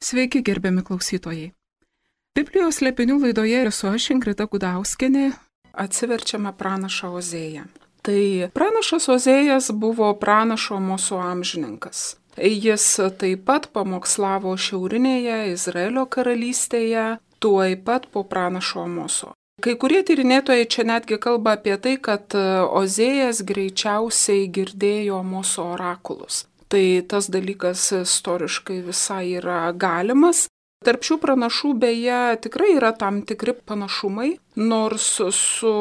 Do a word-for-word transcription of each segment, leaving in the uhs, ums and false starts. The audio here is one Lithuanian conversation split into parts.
Sveiki, gerbiami klausytojai. Biblijos slėpinių laidoje esu aš, Ingrida Gudauskienė, atsiverčiame pranašą Ozėją. Tai pranašas Ozėjas buvo pranašo Amoso amžininkas. Jis taip pat pamokslavo šiaurinėje Izraelio karalystėje, tuoj pat po pranašo Amoso. Kai kurie tyrinėtojai čia netgi kalba apie tai, kad Ozėjas greičiausiai girdėjo Amoso orakulus. Tai tas dalykas istoriškai visai yra galimas. Tarp šių pranašų beje tikrai yra tam tikri panašumai, nors su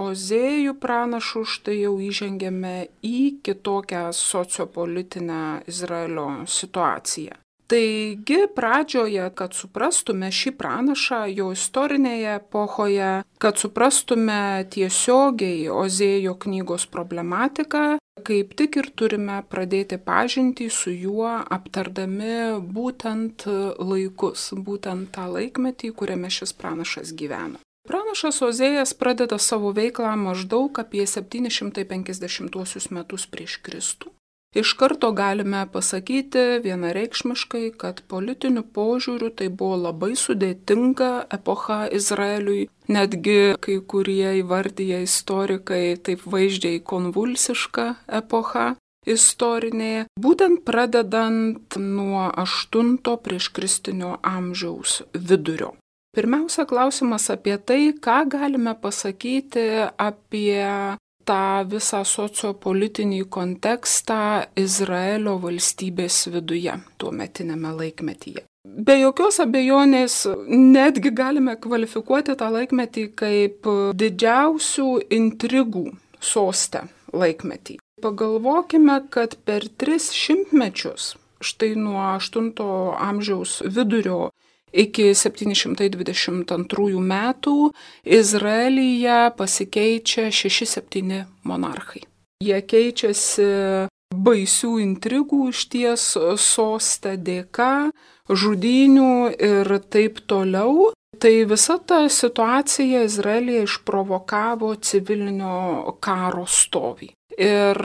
Ozėju pranašu štai jau įžengėme į kitokią sociopolitinę Izraelio situaciją. Taigi pradžioje, kad suprastume šį pranašą jo istorinėje epochoje, kad suprastume tiesiogiai Ozėjo knygos problematiką, kaip tik ir turime pradėti pažintį su juo, aptardami būtent laikus, būtent tą laikmetį, kuriame šis pranašas gyveno. Pranašas Ozėjas pradeda savo veiklą maždaug apie septyni šimtai penkiasdešimtuosius metus prieš Kristų. Iš karto galime pasakyti vienareikšmiškai, kad politiniu požiūriu tai buvo labai sudėtinga epocha Izraeliui, netgi kai kurie įvardyja istorikai taip vaizdžiai konvulsiška epocha istorinė, būtent pradedant nuo aštunto prieškristinio amžiaus vidurio. Pirmiausia, klausimas apie tai, ką galime pasakyti apie tą visą sociopolitinį kontekstą Izraelio valstybės viduje, tuometinėme laikmetyje. Be jokios abejonės, netgi galime kvalifikuoti tą laikmetį kaip didžiausių intrigų soste laikmetį. Pagalvokime, kad per tris šimtmečius, štai nuo aštunto amžiaus vidurio iki septyni šimtai dvidešimt antrųjų metų Izraelyje pasikeičia šeši septyni monarchai. Jie keičiasi baisių intrigų išties soste dėka, žudynių ir taip toliau. Tai visa ta situacija Izraelyje išprovokavo civilinio karo stovį. Ir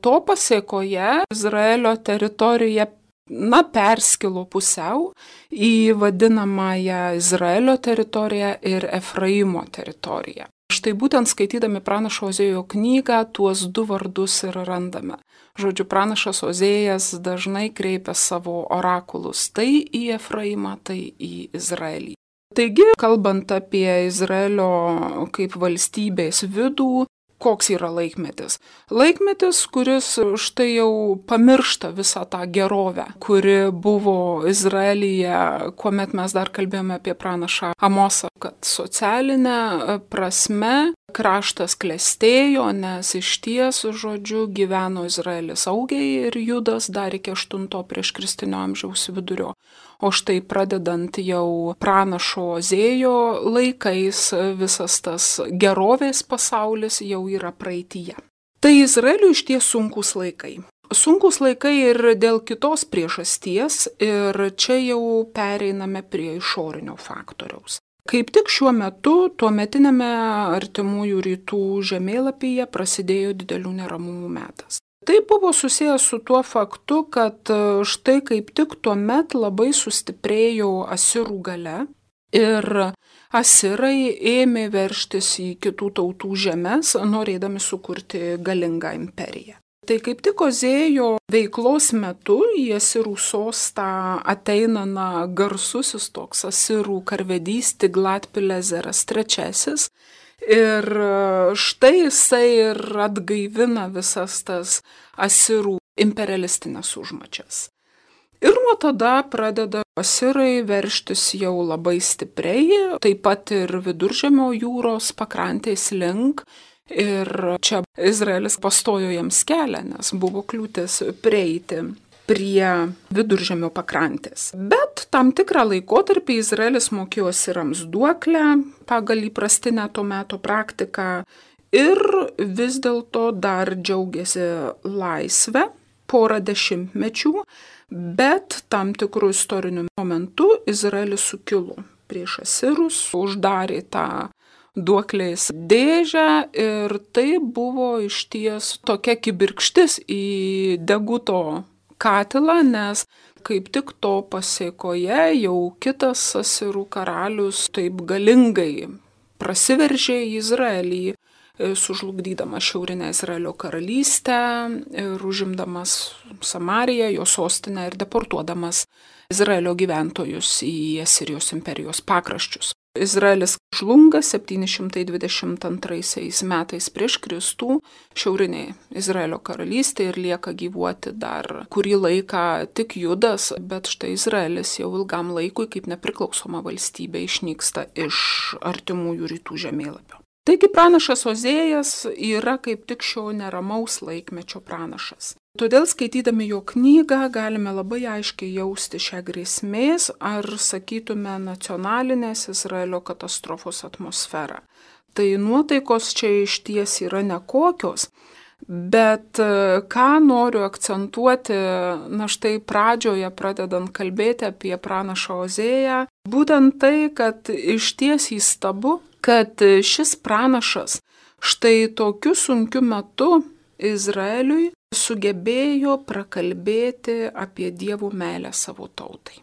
to pasėkoje Izraelio teritorija na, perskilo pusiau į vadinamąją Izraelio teritoriją ir Efraimo teritoriją. Štai būtent skaitydami pranašo Ozėjo knygą tuos du vardus ir randame. Žodžiu, pranašas Ozėjas dažnai kreipia savo orakulus tai į Efraimą, tai į Izraelį. Taigi, kalbant apie Izraelio kaip valstybės vidų, koks yra laikmetis? Laikmetis, kuris štai jau pamiršta visą tą gerovę, kuri buvo Izraelyje, kuomet mes dar kalbėjome apie pranašą Amosą, kad socialinė prasme kraštas klestėjo, nes iš ties, žodžiu, gyveno Izraelis saugiai ir Judas dar iki aštunto prieškristinio amžiaus vidurio. O štai pradedant jau pranašo Ozėjo laikais visas tas gerovės pasaulis jau yra praeityje. Tai Izraeliui iš ties sunkus laikai. Sunkus laikai ir dėl kitos priežasties ir čia jau pereiname prie išorinio faktoriaus. Kaip tik šiuo metu tuometiniame artimųjų rytų žemėlapyje prasidėjo didelių neramumų metas. Tai buvo susijęs su tuo faktu, kad štai kaip tik tuomet labai sustiprėjo asirų galia ir asirai ėmė veržtis į kitų tautų žemes, norėdami sukurti galingą imperiją. Tai kaip tik Ozėjo veiklos metu į asirų sostą ateina na, garsusis toks asirų karvedys Tiglat-Pileseras trečiasis. Ir štai jisai ir atgaivina visas tas asirų imperialistinės užmačias. Ir nuo tada pradeda asirai veržtis jau labai stipriai, taip pat ir Viduržemio jūros pakrantės link. Ir čia Izraelis pastojo jiems kelią, nes buvo kliūtis prieiti prie Viduržemio pakrantės. Bet tam tikrą laikotarpį Izraelis mokėjo asirams duoklę pagal įprastinę to meto praktiką ir vis dėlto dar džiaugiasi laisvę porą dešimtmečių, bet tam tikrų istorinių momentų Izraelis sukilo prieš asirus, uždarė tą duoklės dėžę ir tai buvo išties tokia kibirkštis į deguto katilą, nes Kaip tik to pasėkoje jau kitas Asirų karalius taip galingai prasiveržė į Izraelį, sužlugdydamas šiaurinę Izraelio karalystę ir užimdamas Samariją, jo sostinę ir deportuodamas Izraelio gyventojus į Asirijos imperijos pakraščius. Izraelis žlunga septyni šimtai dvidešimt antraisiais metais prieš Kristų šiaurinėje Izraelio karalystėje ir lieka gyvuoti dar kurį laiką tik Judas, bet štai Izraelis jau ilgam laikui kaip nepriklausoma valstybė išnyksta iš artimųjų rytų žemėlapio. Taigi pranašas Ozėjas yra kaip tik šio neramaus laikmečio pranašas. Todėl skaitydami jo knygą galime labai aiškiai jausti šią grėsmės ar, sakytume, nacionalinės Izraelio katastrofos atmosferą. Tai nuotaikos čia išties yra nekokios, bet ką noriu akcentuoti, na štai pradžioje pradedant kalbėti apie pranašą Ozėją, būtent tai, kad išties įstabu, kad šis pranašas štai tokiu sunkiu metu Izraeliui sugebėjo prakalbėti apie Dievo meilę savo tautai.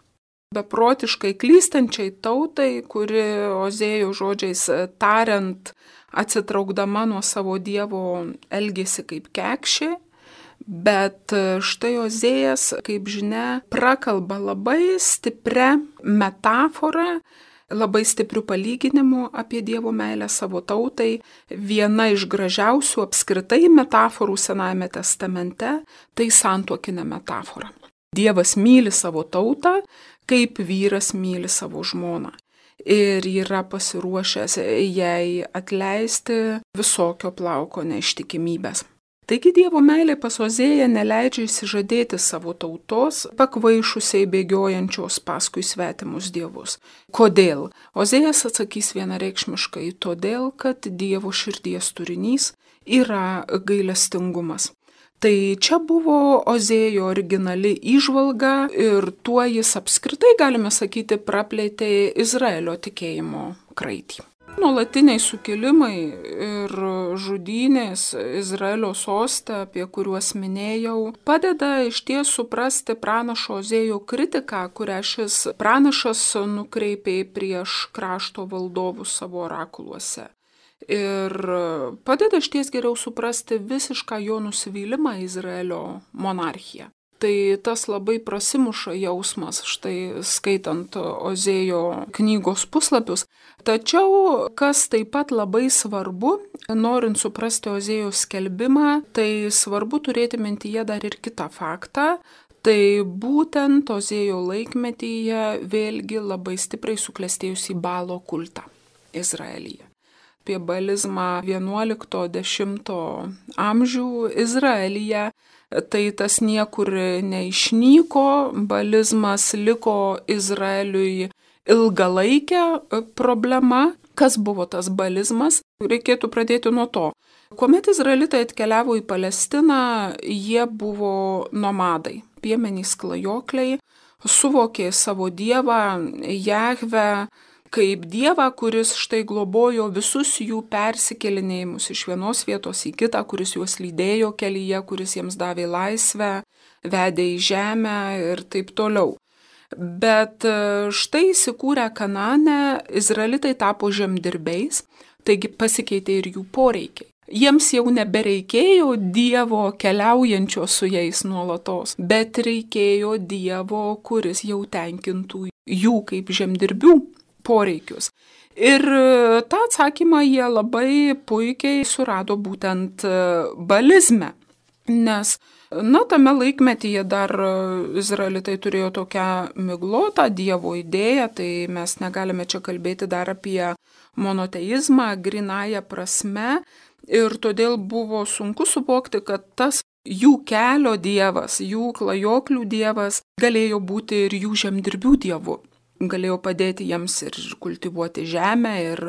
Beprotiškai klystančiai tautai, kuri Ozėjo žodžiais tariant, atsitraukdama nuo savo Dievo elgėsi kaip kekšė, bet štai Ozėjas, kaip žinia, prakalba labai stiprią metaforą, labai stiprių palyginimų apie Dievo meilę savo tautai. Viena iš gražiausių apskritai metaforų Senajame testamente - tai santuokinė metafora. Dievas myli savo tautą, kaip vyras myli savo žmoną. Ir yra pasiruošęs jai atleisti visokio plauko neištikimybės. Taigi Dievo meilė pas Ozėją neleidžia išsižadėti savo tautos, pakvaišusiai bėgiojančios paskui svetimus dievus. Kodėl? Ozėjas atsakys vienareikšmiškai, todėl, kad Dievo širdies turinys yra gailestingumas. Tai čia buvo Ozėjo originali įžvalga ir tuo jis apskritai, galime sakyti, praplėtė Izraelio tikėjimo kraitį. Nuolatiniai sukilimai ir žudynės Izraelio soste, apie kuriuos minėjau, padeda išties suprasti pranašo Ozėjo kritiką, kurią šis pranašas nukreipė prieš krašto valdovus savo orakuluose. Ir padeda išties geriau suprasti visišką jo nusivylimą Izraelio monarchiją. Tai tas labai prasimuša jausmas, štai skaitant Ozėjo knygos puslapius. Tačiau, kas taip pat labai svarbu, norint suprasti Ozėjo skelbimą, tai svarbu turėti mintyje dar ir kitą faktą. Tai būtent Ozėjo laikmetyje vėlgi labai stipriai suklestėjusi Balo kultą Izraelyje. Apie balizmą vienuolikto-dešimto amžių Izraelyje. Tai tas niekur neišnyko, balizmas liko Izraeliui ilgalaikę problema. Kas buvo tas balizmas? Reikėtų pradėti nuo to. Kuomet izraelitai atkeliavo į Palestiną, jie buvo nomadai, piemenys klajokliai, suvokė savo dievą, Jahvę, kaip dievą, kuris štai globojo visus jų persikelinėjimus iš vienos vietos į kitą, kuris juos lydėjo kelyje, kuris jiems davė laisvę, vedė į žemę ir taip toliau. Bet štai įsikūrę Kanane, izraelitai tapo žemdirbiais, taigi pasikeitė ir jų poreikiai. Jiems jau nebereikėjo dievo keliaujančio su jais nuolatos, bet reikėjo dievo, kuris jau tenkintų jų kaip žemdirbių poreikius. Ir tą atsakymą jie labai puikiai surado būtent balizme, nes, na, tame laikmetyje dar izraelitai turėjo tokią miglotą dievo idėją, tai mes negalime čia kalbėti dar apie monoteizmą grynąja prasme, ir todėl buvo sunku suvokti, kad tas jų kelio dievas, jų klajoklių dievas galėjo būti ir jų žemdirbių dievu. Galėjo padėti jiems ir kultivuoti žemę, ir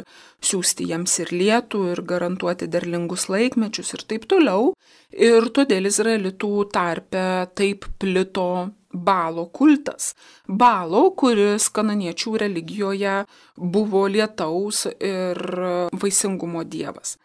siųsti jiems ir lietų, ir garantuoti derlingus laikmečius ir taip toliau. Ir todėl izraelitų tarpe taip plito Balo kultas. Balo, kuris kananiečių religijoje buvo lietaus ir vaisingumo dievas.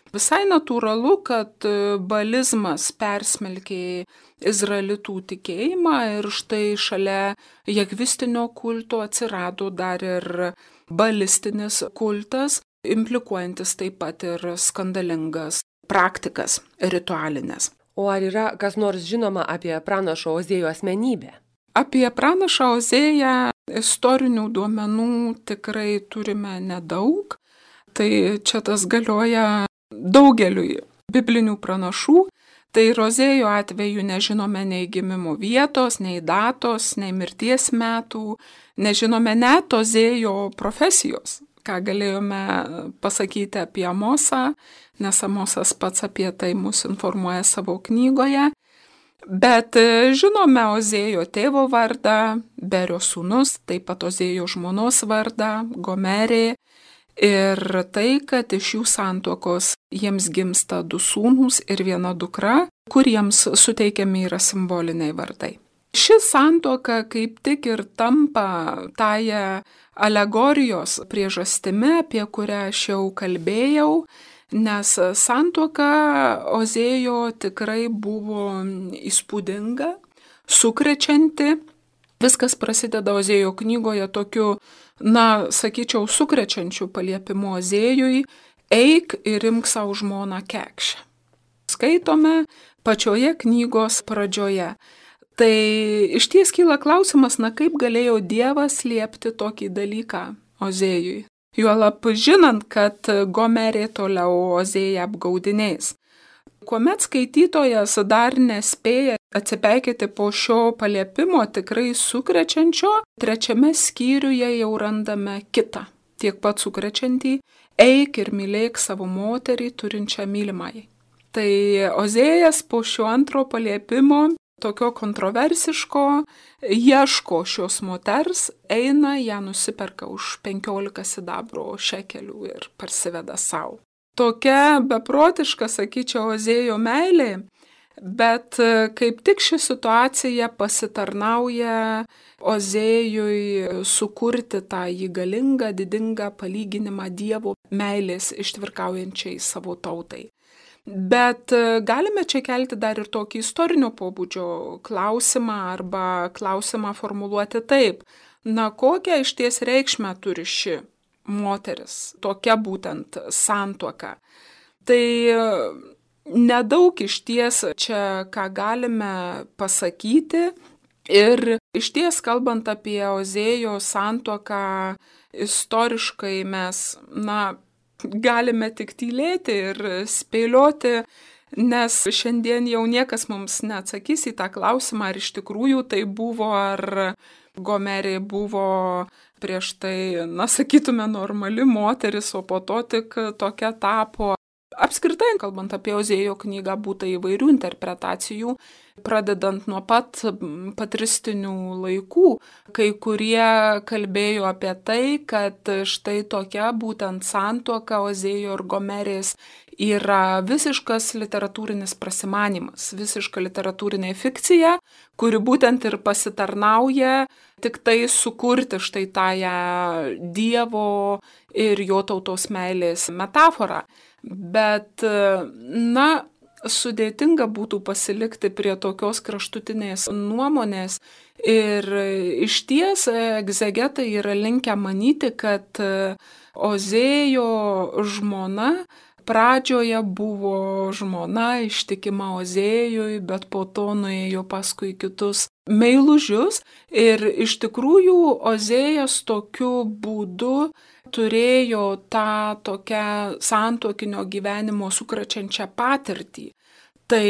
Visai natūralu, kad balizmas persmelkė izraelitų tikėjimą ir štai šalia jahvistinio kulto atsirado dar ir balistinis kultas, implikuojantis taip pat ir skandalingas praktikas ritualinės. O ar yra kas nors žinoma apie pranašo Ozėjo asmenybę? Apie pranašą Ozėją istorinių duomenų tikrai turime nedaug. Tai čia tas galioja daugeliui biblinių pranašų. Tai ir Ozėjo atveju nežinome nei gimimo vietos, nei datos, nei mirties metų, nežinome net Ozėjo profesijos, ką galėjome pasakyti apie Amosą, nes Amosas pats apie tai mus informuoja savo knygoje. Bet žinome Ozėjo tėvo vardą, Berio sūnus, taip pat Ozėjo žmonos vardą, Gomerė, ir tai, kad iš jų santuokos jiems gimsta du sūnūs ir viena dukra, kuriems suteikiami yra simboliniai vardai. Ši santuoka kaip tik ir tampa tąją alegorijos priežastimi, apie kurią aš jau kalbėjau, nes santuoka Ozėjo tikrai buvo įspūdinga, sukrečianti. Viskas prasideda Ozėjo knygoje tokiu, na, sakyčiau, sukrečiančiu paliepimu Ozėjui: eik ir imk savo žmoną Kekšę. Skaitome pačioje knygos pradžioje. Tai iš ties kyla klausimas, na kaip galėjo Dievas liepti tokį dalyką Ozėjui? Juolab žinant, kad Gomerė toliau Ozėją apgaudinės. Kuomet skaitytojas dar nespėja atsipeikėti po šio paliepimo tikrai sukrečiančio, trečiame skyriuje jau randame kitą, tiek pat sukrečiantį: eik ir mylėk savo moterį turinčią mylimąjį. Tai Ozėjas po šio antro paliepimo, tokio kontroversiško, ieško šios moters, eina, ją nusiperka už penkiolika sidabro šekelių ir parsiveda savo. Tokia beprotiška, sakyčiau, Ozėjo meilė, bet kaip tik ši situacija pasitarnauja Ozėjui sukurti tą jį galingą, didingą palyginimą Dievo meilės ištvirkaujančiai savo tautai. Bet galime čia kelti dar ir tokį istorinio pobūdžio klausimą arba klausimą formuluoti taip: na, kokią išties reikšmę turi ši moteris, tokia būtent santuoka. Tai nedaug išties čia ką galime pasakyti ir išties kalbant apie Ozėjo santuoką istoriškai mes, na, galime tik tylėti ir spėlioti, nes šiandien jau niekas mums neatsakys į tą klausimą, ar iš tikrųjų tai buvo, ar Gomerė buvo prieš tai, na, sakytume, normali moteris, o po to tik tokia tapo. Apskritai, kalbant apie Ozėjo knygą, būta įvairių interpretacijų, pradedant nuo pat patristinių laikų. Kai kurie kalbėjo apie tai, kad štai tokia būtent santuoka Ozėjo ir Gomerės yra visiškas literatūrinis prasimanymas, visiška literatūrinė fikcija, kuri būtent ir pasitarnauja tik tai sukurti štai tąją Dievo ir jo tautos meilės metaforą. Bet, na, sudėtinga būtų pasilikti prie tokios kraštutinės nuomonės ir išties egzegetai yra linkę manyti, kad Ozėjo žmona pradžioje buvo žmona ištikima Ozėjui, bet po to nuėjo paskui kitus meilužius ir iš tikrųjų Ozėjas tokiu būdu turėjo tą tokią santuokinio gyvenimo sukrečiančią patirtį. Tai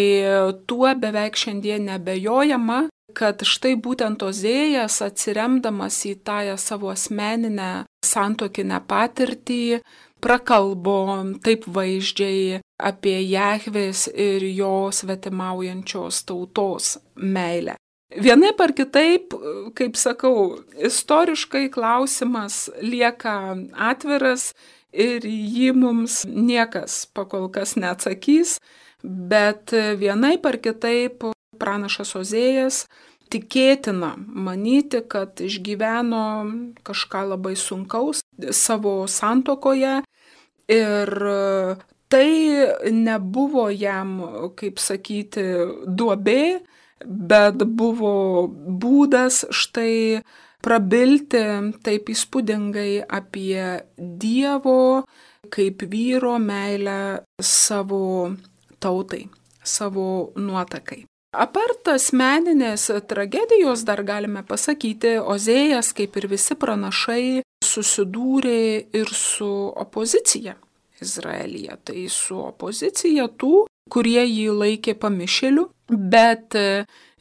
tuo beveik šiandien nebejojama, kad štai būtent Ozėjas, atsiremdamas į tąją savo asmeninę santuokinę patirtį, prakalbo taip vaizdžiai apie Jahvės ir jo svetimaujančios tautos meilę. Vienaip ar kitaip, kaip sakau, istoriškai klausimas lieka atviras ir jį mums niekas pakol kas neatsakys, bet vienaip ar kitaip pranašas Ozėjas tikėtina manyti, kad išgyveno kažką labai sunkaus savo santuokoje ir Tai nebuvo jam, kaip sakyti, duobė, bet buvo būdas štai prabilti taip įspūdingai apie Dievo kaip vyro meilę savo tautai, savo nuotakai. Apart asmeninės tragedijos dar galime pasakyti, Ozėjas, kaip ir visi pranašai, susidūrė ir su opozicija Izraelyje. Tai su opozicija tų, kurie jį laikė pamišėliu, bet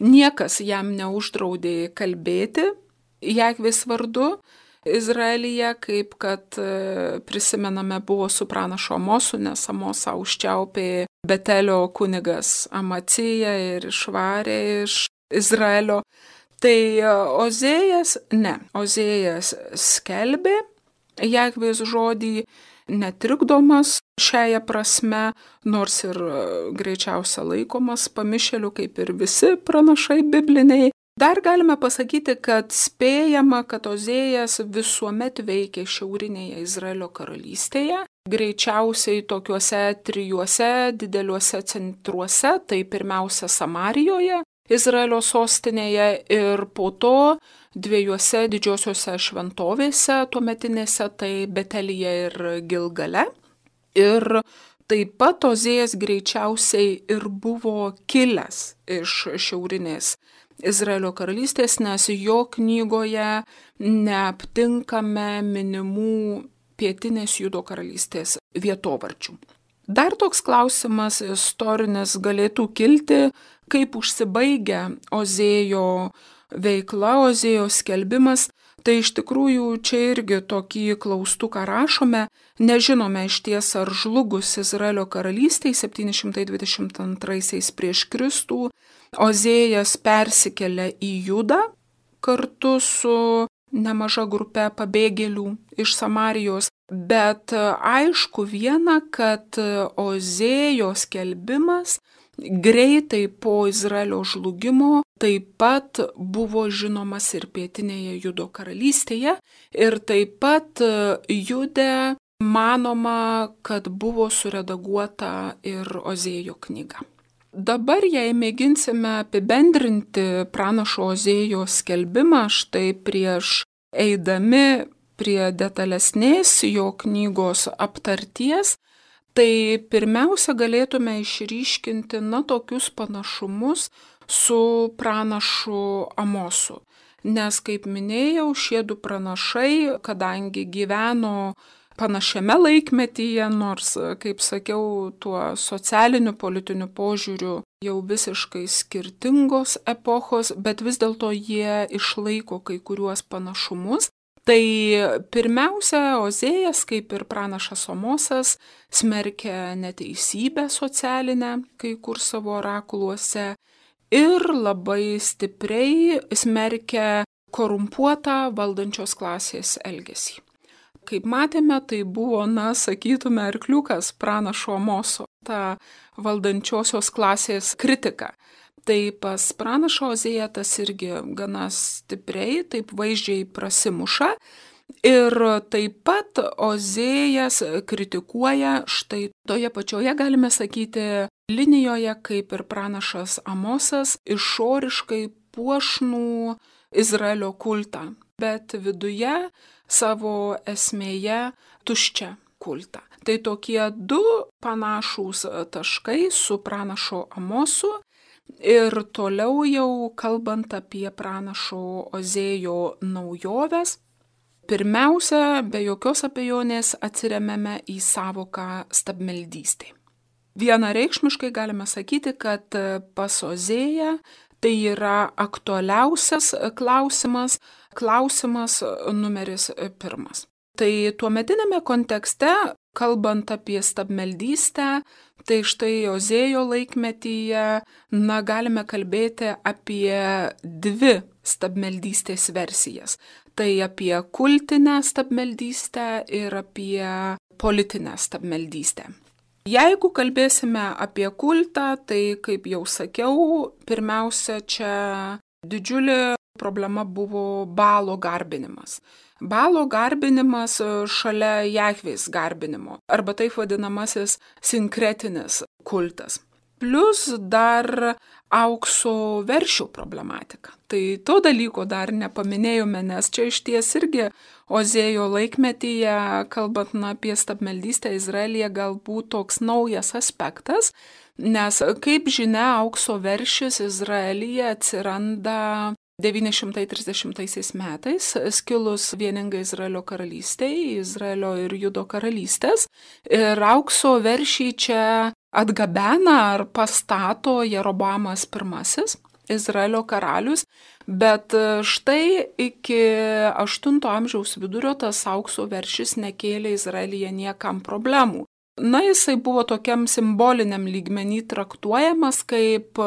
niekas jam neuždraudė kalbėti Jahvės vardu Izraelyje, kaip kad prisimename buvo su pranašu Amosu, nes Amosą užčiaupė Betelio kunigas Amacija ir išvarė iš Izraelio. Tai Ozėjas, ne, Ozėjas skelbė Jahvės žodį netrikdomas šiąją prasme, nors ir greičiausia laikomas pamišėliu, kaip ir visi pranašai bibliniai. Dar galime pasakyti, kad spėjama, kad Ozėjas visuomet veikė šiaurinėje Izraelio karalystėje, greičiausiai tokiuose trijuose dideliuose centruose, tai pirmiausia Samarijoje, Izraelio sostinėje, ir po to dviejose didžiosiuose šventovėse tuometinėse, tai Betelyje ir Gilgale. Ir taip pat Ozėjas greičiausiai ir buvo kilęs iš šiaurinės Izraelio karalystės, nes jo knygoje neaptinkame minimų pietinės Judo karalystės vietovardžių. Dar toks klausimas istorinis galėtų kilti, kaip užsibaigia Ozėjo veikla, Ozėjo skelbimas. Tai iš tikrųjų čia irgi tokį klaustuką rašome, nežinome išties ar žlugus Izraelio karalystei septyni šimtai dvidešimt antraisiais prieš Kristų, Ozėjas persikelia į Judą kartu su nemaža grupe pabėgėlių iš Samarijos, bet aišku viena, kad Ozėjo skelbimas greitai po Izraelio žlugimo taip pat buvo žinomas ir pietinėje Judo karalystėje, ir taip pat Jude manoma, kad buvo suredaguota ir Ozėjo knyga. Dabar, jei mėginsime apibendrinti pranašo Ozėjo skelbimą, štai prieš eidami prie detalesnės jo knygos aptarties, tai pirmiausia galėtume išryškinti na tokius panašumus su pranašu Amosu. Nes, kaip minėjau, šie du pranašai, kadangi gyveno panašiame laikmetyje, nors, kaip sakiau, tuo socialiniu, politiniu požiūriu jau visiškai skirtingos epochos, bet vis dėlto jie išlaiko kai kuriuos panašumus. Tai pirmiausia, Ozėjas, kaip ir pranašas Amosas, smerkia neteisybę socialinę kai kur savo orakuluose ir labai stipriai smerkia korumpuotą valdančios klasės elgesį. Kaip matėme, tai buvo, na, sakytume, arkliukas pranašo Amoso, ta valdančiosios klasės kritika. Tai pas pranašą Ozėją tas irgi gana stipriai, taip vaizdžiai prasimuša. Ir taip pat Ozėjas kritikuoja štai toje pačioje, galime sakyti, linijoje, kaip ir pranašas Amosas, išoriškai puošnų Izraelio kultą, bet viduje savo esmėje tuščią kultą. Tai tokie du panašūs taškai su pranašo Amosu. Ir toliau jau kalbant apie pranašo Ozėjo naujoves, pirmiausia, be jokios abejonės atsiremiame į savoką stabmeldystė. Vienareikšmiškai galime sakyti, kad pas Ozėją tai yra aktualiausias klausimas, klausimas numeris pirmas. Tai tuometinėme kontekste, kalbant apie stabmeldystę, tai štai Ozėjo laikmetyje, na, galime kalbėti apie dvi stabmeldystės versijas. Tai apie kultinę stabmeldystę ir apie politinę stabmeldystę. Jeigu kalbėsime apie kultą, tai, kaip jau sakiau, pirmiausia, čia didžiulė problema buvo Balo garbinimas. Balo garbinimas šalia Jahvės garbinimo, arba taip vadinamasis sinkretinis kultas. Plus dar aukso veršių problematika. Tai to dalyko dar nepaminėjome, nes čia iš ties irgi Ozėjo laikmetyje, kalbant na, apie stabmeldystę Izraelyje, galbūt toks naujas aspektas, nes kaip žinia, aukso veršis Izraelyje atsiranda devyni šimtai trisdešimtaisiais metais, skilus vieningai Izraelio karalystei, Izraelio ir Judo karalystės, ir aukso veršį čia atgabena ar pastato Jeroboamas pirmasis, Izraelio karalius, bet štai iki aštunto amžiaus vidurio tas aukso veršis nekėlė Izraelyje niekam problemų. Na, jisai buvo tokiam simboliniam lygmenį traktuojamas kaip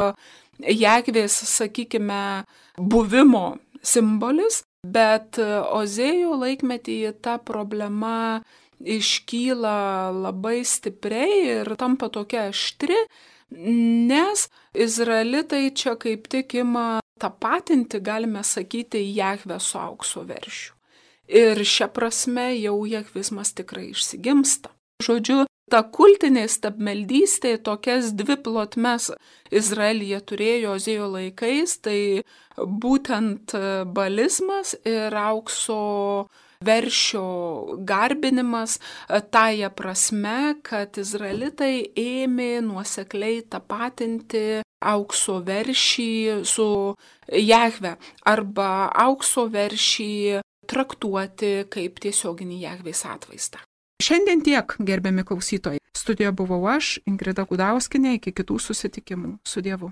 Jahvės, sakykime, buvimo simbolis, bet Ozėjo laikmetyje ta problema iškyla labai stipriai ir tampa tokia aštri, nes izraelitai čia kaip tik ima tapatinti, galime sakyti, Jahvę su aukso veršiu. Ir šia prasme jau jahvizmas tikrai išsigimsta. Žodžiu, ta kultinė stabmeldystė tokias dvi plotmes Izraelyje turėjo Ozėjo laikais, tai būtent balizmas ir aukso veršio garbinimas, tąja prasme, kad izraelitai ėmė nuosekliai tapatinti aukso veršį su Jahve arba aukso veršį traktuoti kaip tiesioginį Jahvės atvaizdą. Šiandien tiek, gerbiami klausytojai. Studijoje buvau aš, Ingrida Gudauskienė, iki kitų susitikimų. Su Dievu.